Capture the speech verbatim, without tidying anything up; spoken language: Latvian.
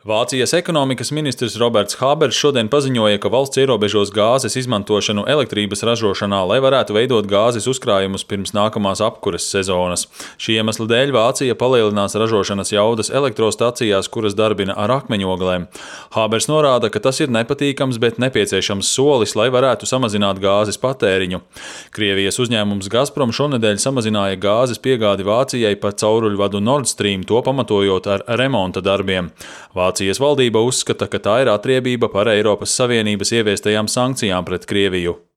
Vācijas ekonomikas ministrs Roberts Habers šodien paziņoja, ka valsts ierobežos gāzes izmantošanu elektrības ražošanā, lai varētu veidot gāzes uzkrājumus pirms nākamās apkures sezonas. Šī iemesla dēļ Vācija palielinās ražošanas jaudas elektrostacijās, kuras darbina ar akmeņoglēm. Habers norāda, ka tas ir nepatīkams, bet nepieciešams solis, lai varētu samazināt gāzes patēriņu. Krievijas uzņēmums Gazprom šonedēļ samazināja gāzes piegādi Vācijai pa cauruļvadu Nord Stream, to pamatojot ar remonta darbiem. Vācijas valdība uzskata, ka tā ir atriebība par Eiropas Savienības ieviestajām sankcijām pret Krieviju.